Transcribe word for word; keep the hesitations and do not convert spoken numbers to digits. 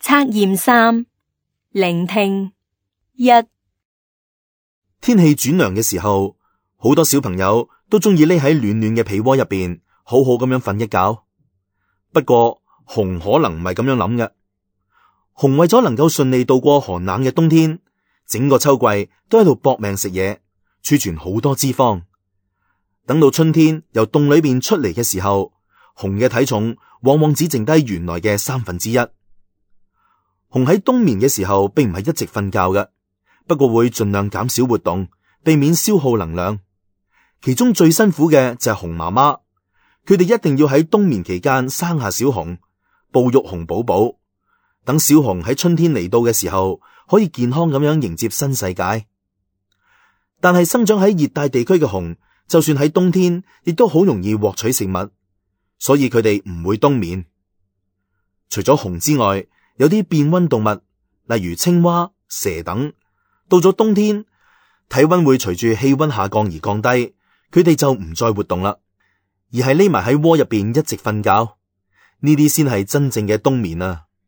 測驗三，聆聽一。天氣轉涼嘅時候，好多小朋友都中意匿喺暖暖嘅被窩入邊，好好咁樣瞓一覺。不過熊可能唔係咁樣諗嘅。熊為咗能夠順利度過寒冷嘅冬天，整個秋季都喺度搏命食嘢，儲存好多脂肪。等到春天由洞裏邊出嚟嘅時候，熊嘅體重往往只剩低原來嘅三分之一。熊喺冬眠嘅時候並唔係一直瞓覺嘅，不過會盡量減少活動，避免消耗能量。其中最辛苦嘅就係熊媽媽，佢哋一定要喺冬眠期間生下小熊，哺育熊寶寶，等小熊喺春天嚟到嘅時候可以健康咁樣迎接新世界。但係生長喺熱帶地區嘅熊，就算喺冬天亦都好容易獲取食物，所以佢哋唔會冬眠。除咗熊之外，有啲變溫動物，例如青蛙、蛇等，到咗冬天，體溫會隨住氣溫下降而降低，佢哋就唔再活動啦，而係匿埋喺窩入邊一直瞓覺。呢啲先係真正嘅冬眠啊！